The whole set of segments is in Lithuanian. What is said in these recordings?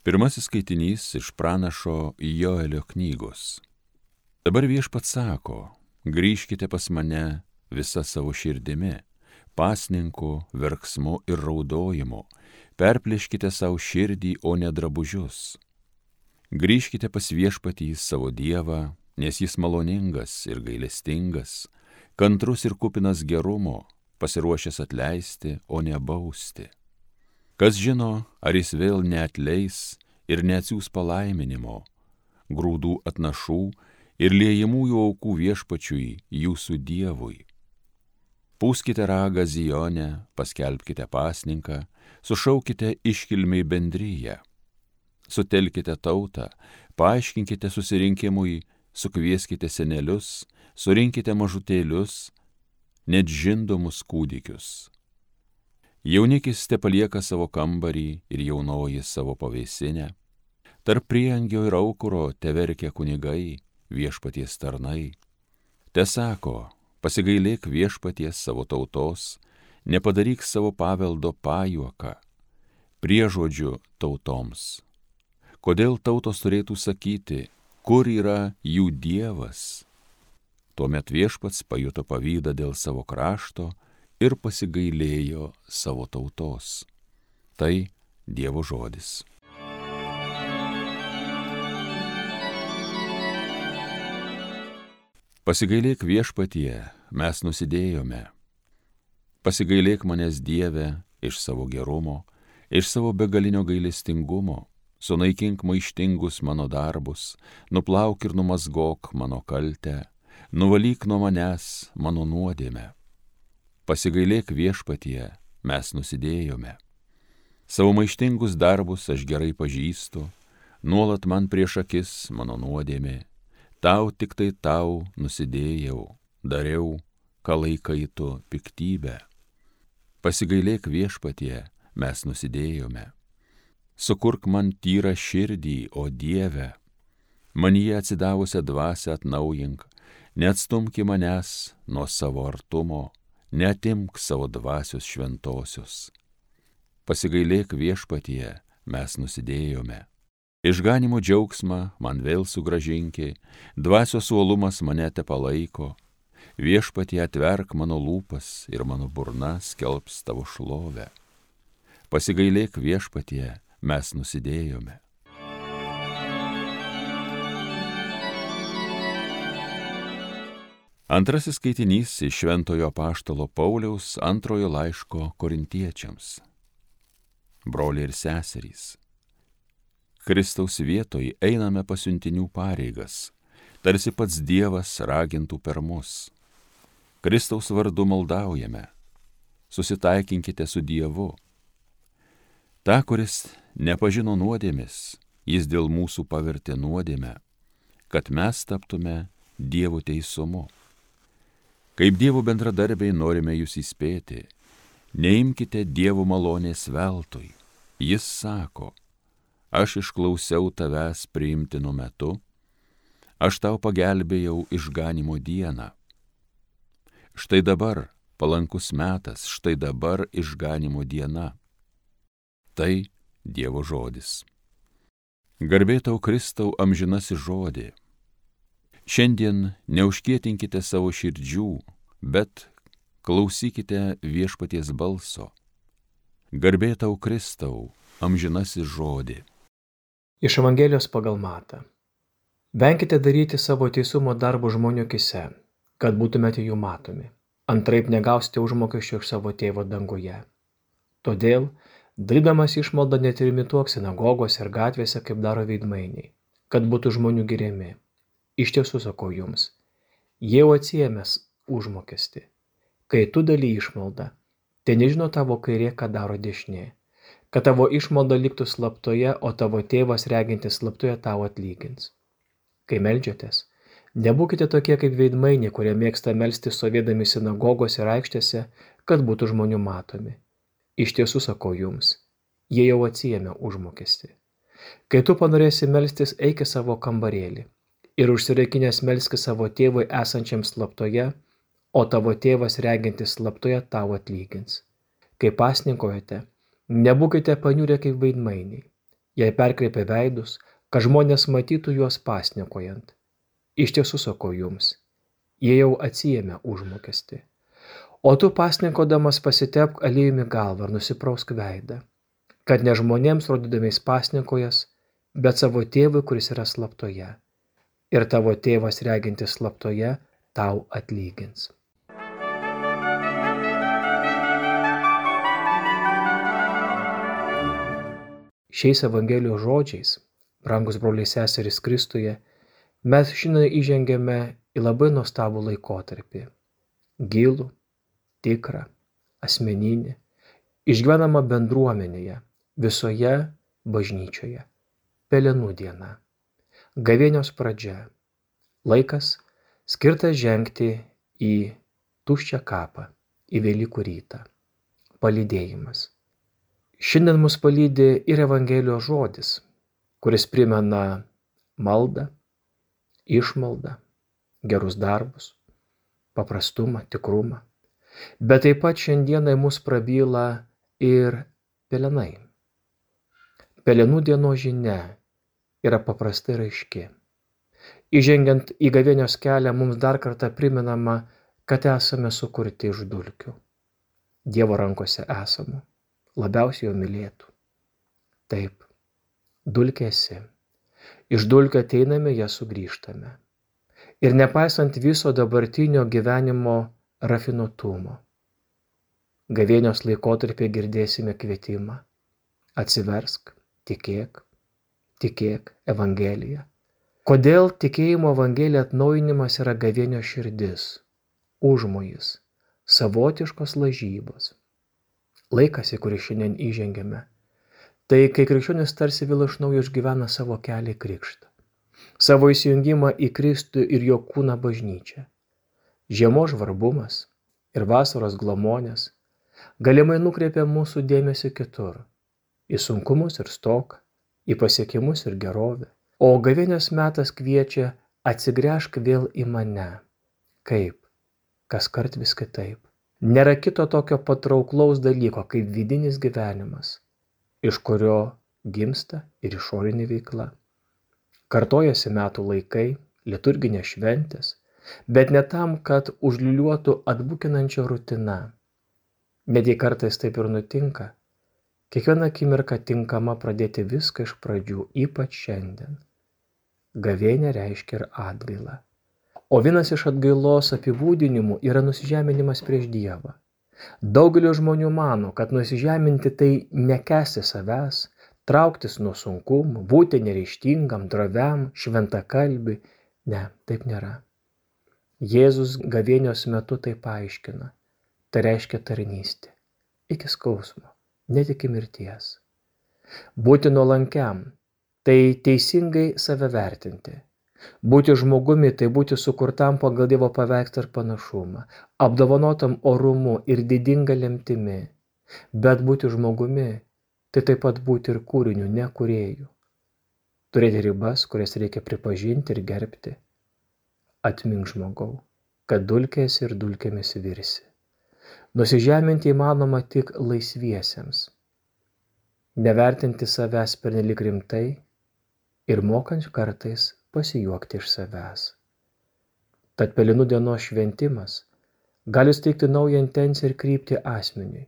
Pirmasis skaitinys iš pranašo Joelio knygos. Dabar Viešpats sako, grįžkite pas mane visa savo širdimi, pasninku, verksmu ir raudojimu, perplėškite savo širdį, o ne drabužius. Grįžkite pas Viešpatį savo Dievą, nes jis maloningas ir gailestingas, kantrus ir kupinas gerumo, pasiruošęs atleisti, o ne bausti. Kas žino, ar jis vėl neatleis ir neatsiųs palaiminimo, grūdų atnašų ir liejamųjų aukų Viešpačiui, jūsų Dievui. Pūskite ragą Zione, paskelbkite pasninką, sušaukite iškilmiai bendryją. Sutelkite tautą, paaiškinkite susirinkimui, sukvieskite senelius, surinkite mažutėlius, net žindomus kūdikius. Jaunikis tepalieka savo kambarį ir jaunoji savo pavėsinę. Tarp prieangio ir aukuro teverkia kunigai, Viešpaties tarnai. Tesako, pasigailėk Viešpaties savo tautos, nepadaryk savo paveldo pajuoką, priežodžiu tautoms. Kodėl tautos turėtų sakyti, kur yra jų Dievas? Tuomet Viešpats pajuto pavydą dėl savo krašto ir pasigailėjo savo tautos. Tai Dievo žodis. Pasigailėk Viešpatie, mes nusidėjome. Pasigailėk manęs Dieve iš savo gerumo, iš savo begalinio gailestingumo, sunaikink maištingus mano darbus, nuplauk ir numazgok mano kaltę, nuvalyk nuo manęs mano nuodėmę. Pasigailėk Viešpatie, mes nusidėjome. Savo maištingus darbus aš gerai pažįstu, nuolat man prieš akis mano nuodėmė. Tau tik tai tau nusidėjau, dariau, ką laikai tu piktybę. Pasigailėk Viešpatie, mes nusidėjome. Sukurk man tyrą širdį, o Dieve, manyje atsidavusią dvasią atnaujink, neatstumki manęs nuo savo artumo, neatimk savo dvasios šventosios. Pasigailėk Viešpatie, mes nusidėjome. Išganimo džiaugsmą man vėl sugrąžinki, dvasios uolumas mane tepalaiko. Viešpatie, atverk mano lūpas ir mano burna skelbs tavo šlovę. Pasigailėk Viešpatie, mes nusidėjome. Antrasis skaitinys iš Šventojo apaštalo Pauliaus antrojo laiško Korintiečiams. Broliai ir seserys, Kristaus vietoj einame pasiuntinių pareigas, tarsi pats Dievas ragintų per mus. Kristaus vardu maldaujame, susitaikinkite su Dievu. Ta, kuris nepažino nuodėmės, jis dėl mūsų pavertė nuodėmę, kad mes taptume Dievo teisumu. Kaip Dievo bendradarbiai norime jūs įspėti, neimkite Dievo malonės veltui. Jis sako, aš išklausiau tavęs priimtinu metu, aš tau pagelbėjau išganimo dieną. Štai dabar palankus metas, štai dabar išganimo diena. Tai Dievo žodis. Garbė tau Kristau amžinasis žodį. Šiandien neužkietinkite savo širdžių, bet klausykite Viešpaties balso. Garbė tau Kristau, amžinasis žodį. Iš Evangelijos pagal Matą. Venkite daryti savo teisumo darbų žmonių akise, kad būtumėte jų matomi. Antraip negausite užmokesčio iš savo tėvo danguje. Todėl, darydamas išmaldą, netrimituok sinagogose ir gatvėse, kaip daro veidmainiai, kad būtų žmonių giriami. Iš tiesų sakau jums, jie jau atsiėmęs užmokestį. Kai tu daly išmaldą, tai nežino tavo kairė, ką daro dešinė, kad tavo išmalda liktų slaptoje, o tavo tėvas regintis slaptoje tau atlygins. Kai meldžiatės, nebūkite tokie kaip veidmainiai, kurie mėgsta melstis stovėdami sinagogose ir aikštėse, kad būtų žmonių matomi. Iš tiesų sakau jums, jie jau atsiėmė užmokestį. Kai tu panorėsi melstis, eik į savo kambarėlį ir užsiraikinęs melski savo tėvui esančiam slaptoje, o tavo tėvas regintis slaptoje tau atlygins. Kai pasninkaujate, nebūkite paniurę kaip veidmainiai. Jei perkreipia veidus, kad žmonės matytų juos pasninkojant. Iš tiesų sakau jums, jie jau atsiėmė užmokestį. O tu pasninkodamas pasitepk aliejumi galvą ir nusiprausk veidą, kad ne žmonėms rodydamiais pasninkojas, bet savo tėvui, kuris yra slaptoje. Ir tavo tėvas regintis slaptoje tau atlygins. Šiais Evangelijos žodžiais, brangus broliai seserys Kristuje, mes šiandien įžengėme į labai nuostabų laikotarpį. Gilų, tikrą, asmeninį, išgyvenamą bendruomenėje, visoje bažnyčioje. Pelenų diena. Gavėnios pradžia. Laikas skirtas žengti į tuščią kapą, į Velykų rytą. Palydėjimas. Šiandien mus palydi ir Evangelijos žodis, kuris primena maldą, išmaldą, gerus darbus, paprastumą, tikrumą. Bet taip pat šiandienai mus prabyla ir pelenai. Pelenų dienos žinia yra paprastai ir aiški. Įžengiant į gavėnios kelią mums dar kartą primenama, kad esame sukurti iš dulkių. Dievo rankose esame, labiausiai jo mylėtų. Taip, dulkė esi. Iš dulkių ateiname, ją sugrįžtame. Ir nepaisant viso dabartinio gyvenimo rafinuotumo, gavėnios laikotarpį girdėsime kvietimą. Atsiversk, tikėk, tikėk Evangeliją. Kodėl tikėjimo Evangelija atnaujinimas yra gavėnios širdis, užmojis, savotiškos lažybos. Laikas, į kurį šiandien įžengėme, tai kai krikščionis tarsi vėl iš naujo išgyvena savo kelią į krikštą, savo įsijungimą į Kristų ir jo kūną bažnyčią. Žiemos žvarbumas ir vasaros glamonės galimai nukreipia mūsų dėmesį kitur, į sunkumus ir stoką, į pasiekimus ir gerovę. O gavėnios metas kviečia atsigręžk vėl į mane. Kaip? Kaskart vis kitaip. Nėra kito tokio patrauklaus dalyko kaip vidinis gyvenimas, iš kurio gimsta ir išorinė veikla. Kartojasi metų laikai, liturginės šventės, bet ne tam, kad užliūliuotų atbukinančia rutina. Net jei kartais taip ir nutinka, kiekviena akimirka tinkama pradėti viską iš pradžių, ypač šiandien. Gavėnia reiškia ir atgailą. O vienas iš atgailos apibūdinimų yra nusižeminimas prieš Dievą. Daugelio žmonių mano, kad nusižeminti tai nekęsti savęs, trauktis nuo sunkumų, būti neryžtingam, droviam, šventakalbiui. Ne, taip nėra. Jėzus gavėnios metu tai paaiškina. Tai reiškia tarnystė. Iki skausmo, net iki mirties. Būti nuolankiam, tai teisingai save vertinti. Būti žmogumi, tai būti sukurtam pagal Dievo paveikslą ir panašumą, apdovanotam orumu ir didinga lemtimi. Bet būti žmogumi, tai taip pat būti ir kūriniu, ne kūrėju. Turėti ribas, kurias reikia pripažinti ir gerbti. Atmink žmogau, kad dulkės ir dulkėmis virsi. Nusižeminti įmanoma tik laisviesiems. Nevertinti savęs pernelyg rimtai ir mokant kartais pasijuokti iš savęs. Tad pelenų dienos šventimas gali suteikti naują intenciją ir kryptį asmeniui,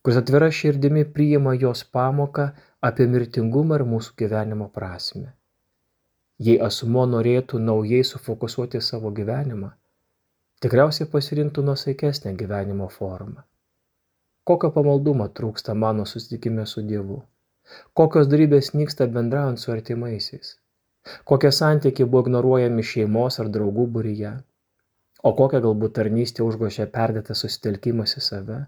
kuris atvira širdimi priima jos pamoką apie mirtingumą ir mūsų gyvenimo prasmę. Jei asmuo norėtų naujai sufokusuoti savo gyvenimą, tikriausiai pasirinktų nuosaikesnę gyvenimo formą. Kokio pamaldumo trūksta mano susitikime su Dievu? Kokios dorybės nyksta bendraujant su artimaisiais? Kokie santykiai buvo ignoruojami šeimos ar draugų būryje? O kokia galbūt tarnystė užgošia perdėtas susitelkimas į save?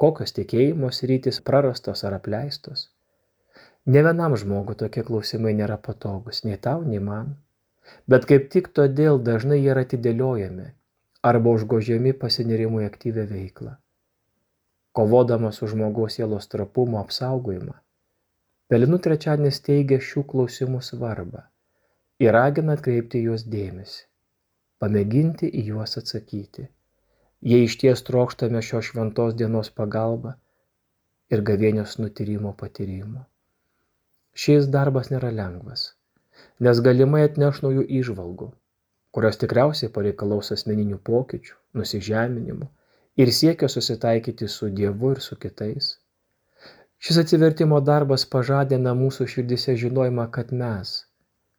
Kokios tikėjimo sritys prarastos ar apleistos? Ne vienam žmogui tokie klausimai nėra patogus, nei tau, nei man. Bet kaip tik todėl dažnai jie yra atidėliojami arba užgožiami pasinėrimui aktyvią veiklą. Kovodamas su žmogaus sielos trapumo apsaugojimą, Pelenų trečiadienis teigia šių klausimų svarbą ir ragina atkreipti juos dėmesį, pamėginti į juos atsakyti, jei išties trokštame šios šventos dienos pagalbą ir gavėnios nutyrimo patyrimo. Šis darbas nėra lengvas, nes galimai atneš naujų įžvalgų, kurios tikriausiai pareikalaus asmeninių pokyčių, nusižeminimų ir siekio susitaikyti su Dievu ir su kitais. Šis atsivertimo darbas pažadina mūsų širdise žinojimą, kad mes,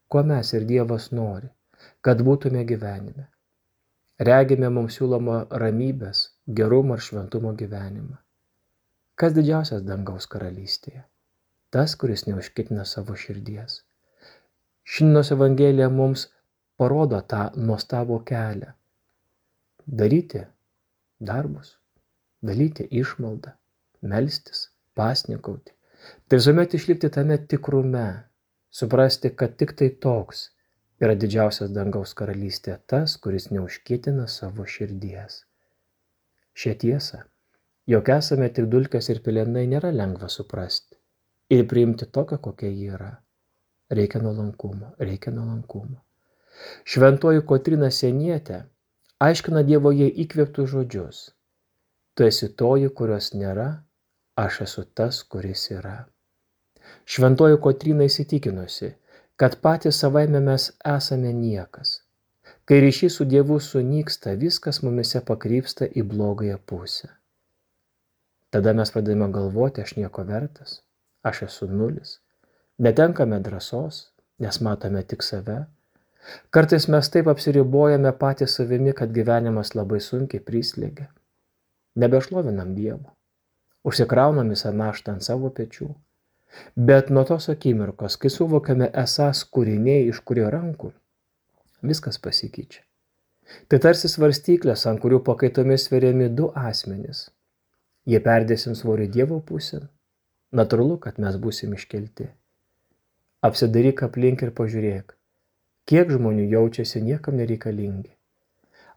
ko mes ir Dievas nori, kad būtume gyvenime. Regime mums siūlomą ramybės, gerumo ir šventumo gyvenimą. Kas didžiausias dangaus karalystėje? Tas, kuris neužkitina savo širdies. Šiandienos Evangelija mums parodo tą nuostabų kelią. Daryti darbus, daryti išmaldą, melstis, pasninkauti. Tai visuomet išlikti tame tikrume, suprasti, kad tik tai toks yra didžiausias dangaus karalystė, tas, kuris neužkitina savo širdies. Šią tiesą, jog esame tik dulkės ir pelenai, nėra lengva suprasti ir priimti tokią, kokia ji yra. Reikia nuolankumo. Šventoji Kotryna Sienietė aiškina Dievo jai įkvėptus žodžius. Tu esi toji, kurios nėra, aš esu tas, kuris yra. Šventoji Kotryna įsitikinusi, kad patys savaime mes esame niekas. Kai ryšys su Dievu sunyksta, viskas mumise pakrypsta į blogąją pusę. Tada mes pradėjome galvoti, aš nieko vertas, aš esu nulis. Netenkame drąsos, nes matome tik save. Kartais mes taip apsiribojame patys savimi, kad gyvenimas labai sunkiai prislėgia. Nebešlovinam Dievo. Užsikraunam visą naštą ant savo pečių. Bet nuo tos akimirkos, kai suvokiame esąs kūriniai iš kurio rankų, viskas pasikeičia. Tai tarsi svarstyklės, ant kurių pakaitomis sveriami du asmenys. Jie perdėsim svorį Dievo pusėn. Natūralu, kad mes būsim iškelti. Apsidairyk aplink ir pažiūrėk, kiek žmonių jaučiasi niekam nereikalingi.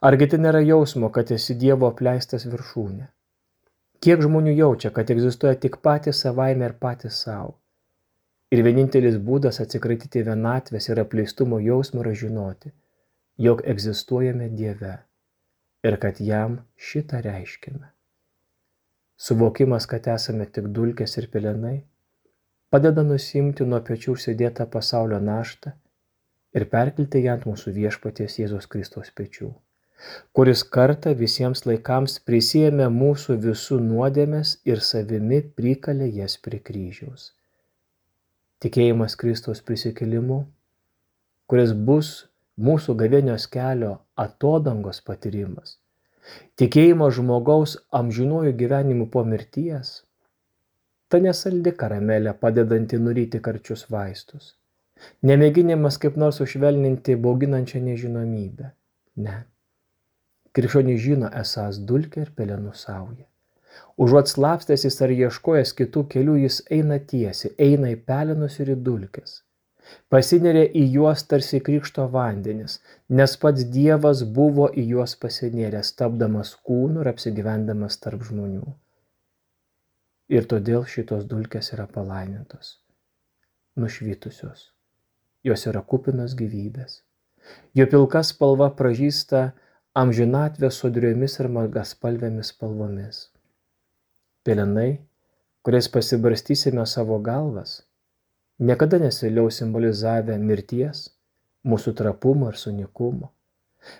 Argi tai nėra jausmo, kad esi Dievo apleistas viršūnė? Kiek žmonių jaučia, kad egzistuoja tik patys savaime ir patys savo. Ir vienintelis būdas atsikratyti vienatvės ir apleistumo jausmo yra žinoti, jog egzistuojame Dieve ir kad jam šitą reiškiame. Suvokimas, kad esame tik dulkės ir pelenai, padeda nusimti nuo pečių užsidėtą pasaulio naštą ir perkelti ją ant mūsų viešpaties Jėzaus Kristaus pečių, kuris kartą visiems laikams prisiėmė mūsų visų nuodėmes ir savimi prikalė jas prie kryžiaus. Tikėjimas Kristaus prisikėlimu, kuris bus mūsų gavėnios kelio atodangos patyrimas, tikėjimo žmogaus amžinuoju gyvenimu po mirties, ta nesaldi karamelė padedanti nuryti karčius vaistus, nemėginimas kaip nors sušvelninti bauginančią nežinomybę. Ne. Krikščionys žino esąs dulkė ir pelenų sauja. Užuot slapstęsis ar ieškojęs kitų kelių, jis eina tiesiai, eina į pelenus ir į dulkes. Pasineria į juos tarsi krikšto vandenis, nes pats Dievas buvo į juos pasinėręs, tapdamas kūnu ir apsigyvendamas tarp žmonių. Ir todėl šitos dulkės yra palaimintos, nušvitusios. Jos yra kupinos gyvybės. Jo pilka spalva pražysta amžinatvės sodriomis ir margaspalvėmis spalvomis. Pelenai, kuriais pasibarstysime savo galvas, niekada nesiliaus simbolizavę mirties, mūsų trapumo ir sunikumo,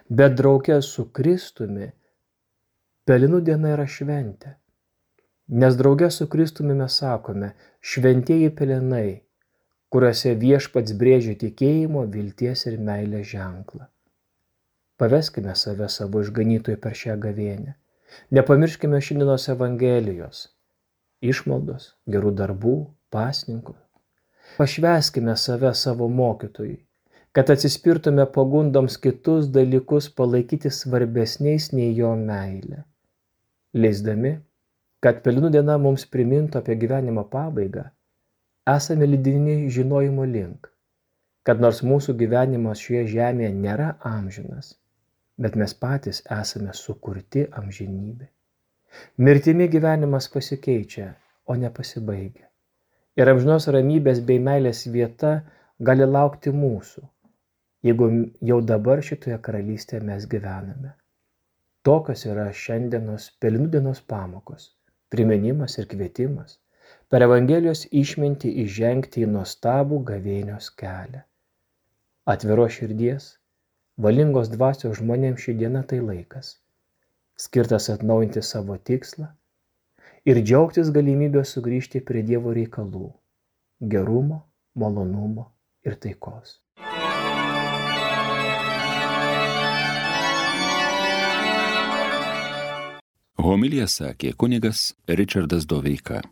bet drauge su Kristumi pelenų diena yra šventė. Nes drauge su Kristumi mes sakome, šventieji pelenai, kuriuose viešpats brėžia tikėjimo, vilties ir meilės ženklą. Paveskime save savo išganytojui per šią gavėnią. Nepamirškime šiandienos Evangelijos, išmaldos, gerų darbų, pasninkų. Pašvęskime save savo mokytojui, kad atsispirtume pagundoms kitus dalykus palaikyti svarbesniais nei jo meilė. Leisdami, kad pelenų diena mums primintų apie gyvenimo pabaigą, esame lydimi žinojimo link, kad nors mūsų gyvenimas šioje žemėje nėra amžinas, bet mes patys esame sukurti amžinybė. Mirtimi gyvenimas pasikeičia, o nepasibaigia. Ir amžinos ramybės bei meilės vieta gali laukti mūsų, jeigu jau dabar šitoje karalystėje mes gyvename. Tokios yra šiandienos pelenų dienos pamokos, priminimas ir kvietimas per Evangelijos išmintį įžengti į nuostabų gavėnios kelią. Atviro širdies, valingos dvasios žmonėms ši diena tai laikas, skirtas atnaujinti savo tikslą ir džiaugtis galimybę sugrįžti prie Dievo reikalų, gerumo, malonumo ir taikos. Homiliją sakė kunigas Ričardas Doveika.